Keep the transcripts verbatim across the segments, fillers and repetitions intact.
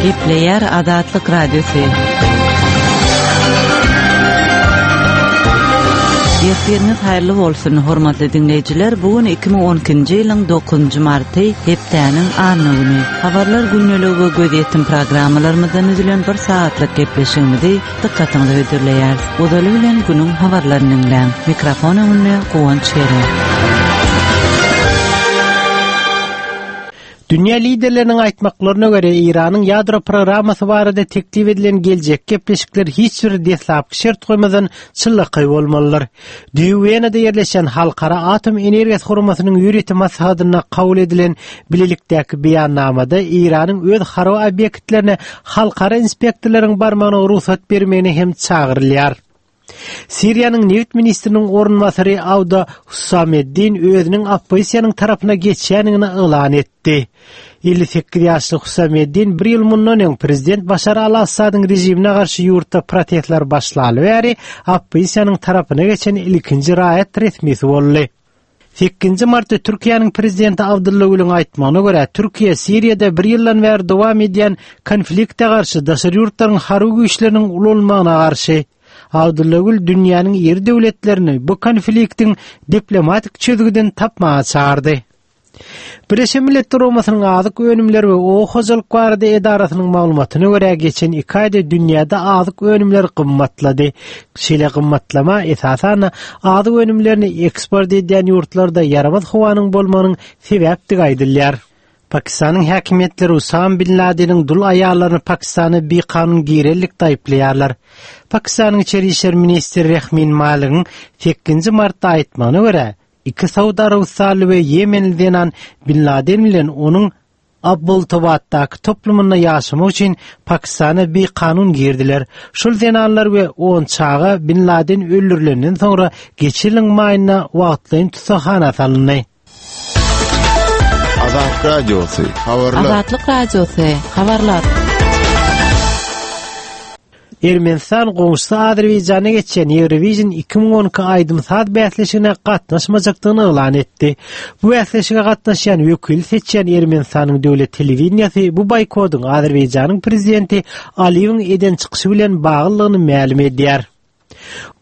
Gepleýär Azatlyk Radiosy. Ertiriňiz haýyrly bolsun, hormatly diňleýjiler. Bu gün iki müň on ikinji ýylyň dokuzynjy marty, hepdäniň anna güni. Habarlar gündeligi we gözýetim programmalarymyzdan düzülen bir saatlyk gepleşigimizi dykgatyňyza hödürleýäris. Ozaly bilen günüň habarlaryny diňläň. Mikrofon öňünde Guwanç Gere. Dünýä liderleriniň aýtmaklaryna görä, Eýranyň ýadro programmasy barada teklip edilen geljek gepleşikler hiç bir deslapky şert goýmadan çynlakaý bolmalydyr. Düýe Wenada ýerleşen Halkara Atom Energiýasy Guramasynyň ýörite maslahatynda kabul edilen bilelikdäki beýannamada Eýranyň öz harby obýektlerine halkara inspektorlaryň barmagyna rugsat bermegine hem çagyrylýar. Siriýanyň neft ministriniň orunbasary Awda Husameddin özüniň oppozisiýanyň tarapyna geçýändigini yglan etdi. elli sekiz ýaşly Husameddin bir ýyl mundan öň prezident Başar al-Assadyň režimine garşy ýurtda protestler başlaly bäri oppozisiýanyň tarapyna geçen ilkinji raýat resmisi boldy. Sekizinji martda Türkiýäniň prezidenti Abdulla Gülüň aýtmagyna görä, Türkiýe Siriýada bir ýyldan bäri dowam edýän konflikte garşy daşary ýurtlaryň harby güýçleriniň ulanylmagyna garşy. Abdulla Gül dünýäniň iri döwletlerini bu konfliktiň diplomatik çözgüdini tapmaga çağırdy. Birleşen Milletler Guramasynyň azyk önümleri we oba hojalyk barada edarasynyň maglumatyna görä, geçen iki aýda dünýäde azyk önümleri gymmatlady. Şeýle gymmatlama esasan azyk önümlerini eksport edýän ýurtlarda ýaramaz howanyň bolmagynyň sebäpdigi aýdylýar. Pakistanyň häkimiýetleri Usama bin Ladeniň dul aýallaryny Pakistana bikanun girellikde aýyplaýarlar. Pakistanyň içeri işler ministri Rehmin Maligiň sekizinji martda aýtmagyna görä, iki Saud Arabystanly we Ýemenli zenan Bin Laden bilen onuň Abbottabaddaky toplumynda ýaşamak üçin Pakistana bikanun girdiler. Şol zenanlar we on çaga Bin Laden öldürilenden soňra geçen ýylyň maýynda wagtlaýyn tussahana salyndy. Azatlyk Radiosy, habarlar. Azatlyk Radiosy, habarlar. Ermenistan goňşusy Azerbaýjana geçen Eurovision iki müň on iki aýdym-saz bäsleşigine gatnaşmajakdygyny yglan etdi. Bu bäsleşige gatnaşýan wekili seçýän Ermenistanyň döwlet telewideniýasy bu boýkotyň Azerbaýjanyň prezidenti Aliýewiň eden çykyşy bilen baglydygyny mälim edýär.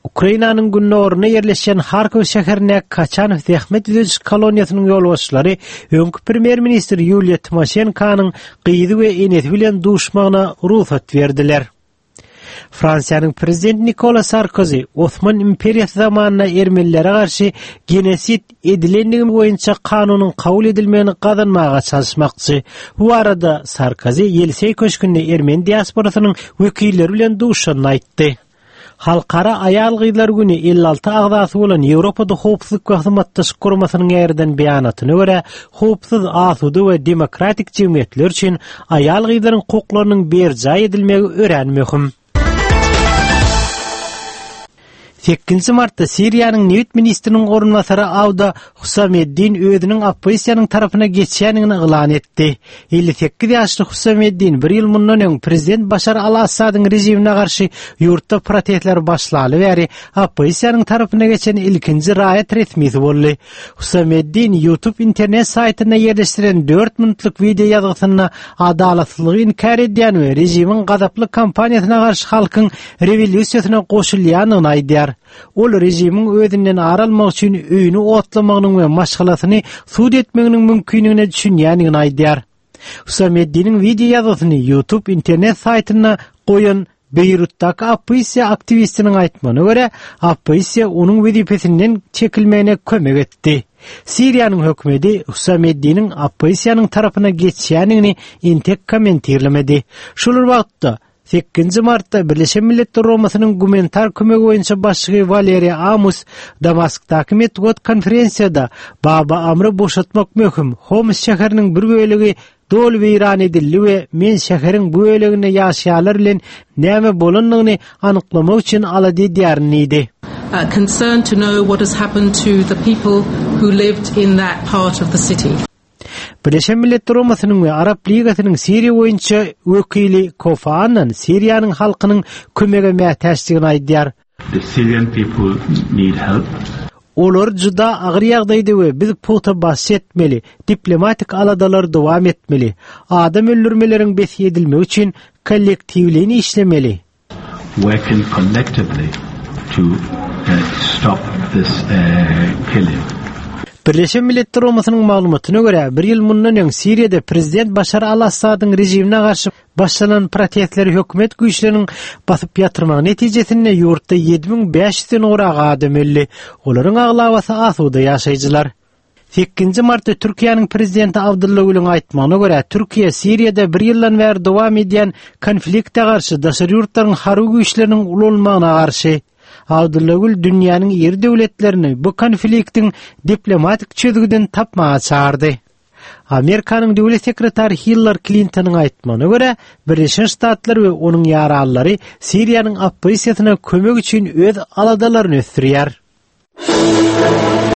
Ukrainanyň gündogarynda ýerleşen Harkov şäherinde Kaçanov zähmet düzediş koloniýasynyň ýolbaşçylary öňki premýer-ministr Ýuliýa Timoşenkonyň gyzy we enesi bilen duşmagyna rugsat berdiler. Fransiýanyň prezidenti Nikola Sarkozy Osman imperiýasy zamanynda ermenilere garşy genosid edilendigi boýunça kanunyň kabul edilmegini gazanmaga çalyşmakçy. Bu arada Sarkozy Ýeliseý köşgünde ermeni diasporasynyň wekilleri bilen duşanyny aýtdy. Halkara aýal gyzlar güni elli alty agzasy bolan Ýewropada howpsuzlyk we hyzmatdaşlyk guramasynyň ýerden beýanatyna görä, howpsuz, asuda we demokratik jemgyýetler üçin aýal gyzlaryň hukuklarynyň berjaý edilmegi örän möhüm. Sekizinji martda Siriýanyň neft ministriniň orunbasary Awda Husameddin özüniň oppozisiýanyň tarapyna geçýändigini yglan etdi. elli sekiz ýaşly Husameddin bir ýyl mundan öň prezident Başar al-Assadyň režimine garşy ýurtda protestler başlaly bäri oppozisiýanyň tarapyna geçen ilkinji raýat resmisi boldy. Husameddin YouTube internet saýtynda ýerleşdiren dört minutlyk video ýazgysynda adalatsyzlygy inkär edýän we režimiň gazaply kampaniýasyna garşy halkyň rewolýusiýasyna goşulýandygyny aýdýar. Ol režimiň özünden ar almak üçin öýüni otlamagynyň we maşgalasyny sud etmeginiň mümkinligine düşünýändigini aýdýar. Husameddiniň video ýazgysyny YouTube internet saýtynda goýan Beýrutdaky oppozisiýa aktiwistiniň aýtmagyna görä, oppozisiýa onuň wezipesinden çekilmegine kömek etdi. Siriýanyň hökümeti Husameddiniň oppozisiýanyň tarapyna geçýändigini entek kommentirlemedi. Şol bir wagtda sekizinji martda Birleşen Milletler Guramasynyň gumanitar kömegi boýunça başlygy Waleriýa Amos Damaskdaky metbugat konferensiýada Baba Amry boşatmak möhüm, Homs şäheriniň bir bölegi doly weýran edildi we men şäheriň bu böleginde ýaşaýanlar bilen näme bolandygyny anyklamak üçin alada edýärin diýdi. Uh, concerned to know what has happened to the people who lived in that part of the city. Birleşen Milletler Guramasynyň we Arap Ligasynyň Siriýa boýunça wekili Kofi Annan Siriýanyň halkynyň kömege mätäçdigini aýdýar. The Syrian people need help. Olar juda agyr ýagdaýda we biz pugta basyş etmeli, diplomatik aladalar dowam etmeli. Adam öldürmeleriň bes edilmegi üçin kollektiwleýin işlemeli. Working collectively to uh, stop this uh, killing. Birleşen Milletler Guramasynyň maglumatyna görä, bir ýyl mundan öň Siriýada prezident Başar al-Assadyň režimine garşy başlanan protestleri hökümet güýçleriniň basyp ýatyrmagy netijesinde ýurtda ýedi müň bäş ýüzden gowrak adam öldi. Olaryň aglabasy asuda ýaşaýjylar. Sekizinji martda Türkiýäniň prezidenti Abdulla Gülüň aýtmagyna görä, Türkiýe Siriýada bir ýyldan bäri dowam edýän konflikte garşy daşary ýurtlaryň harby güýçleriniň ulanylmagyna garşy. Abdulla Gül dünýäniň iri döwletlerini bu konfliktiň diplomatik çözgüdini tapmaga çagyrdy. Amerikanyň döwlet sekretary Hillary Clintonyň aýtmagyna görä, Birleşen Ştatlar we onuň ýaranlary Siriýanyň oppozisiýasyna kömek üçin öz aladalaryny ösdürýär.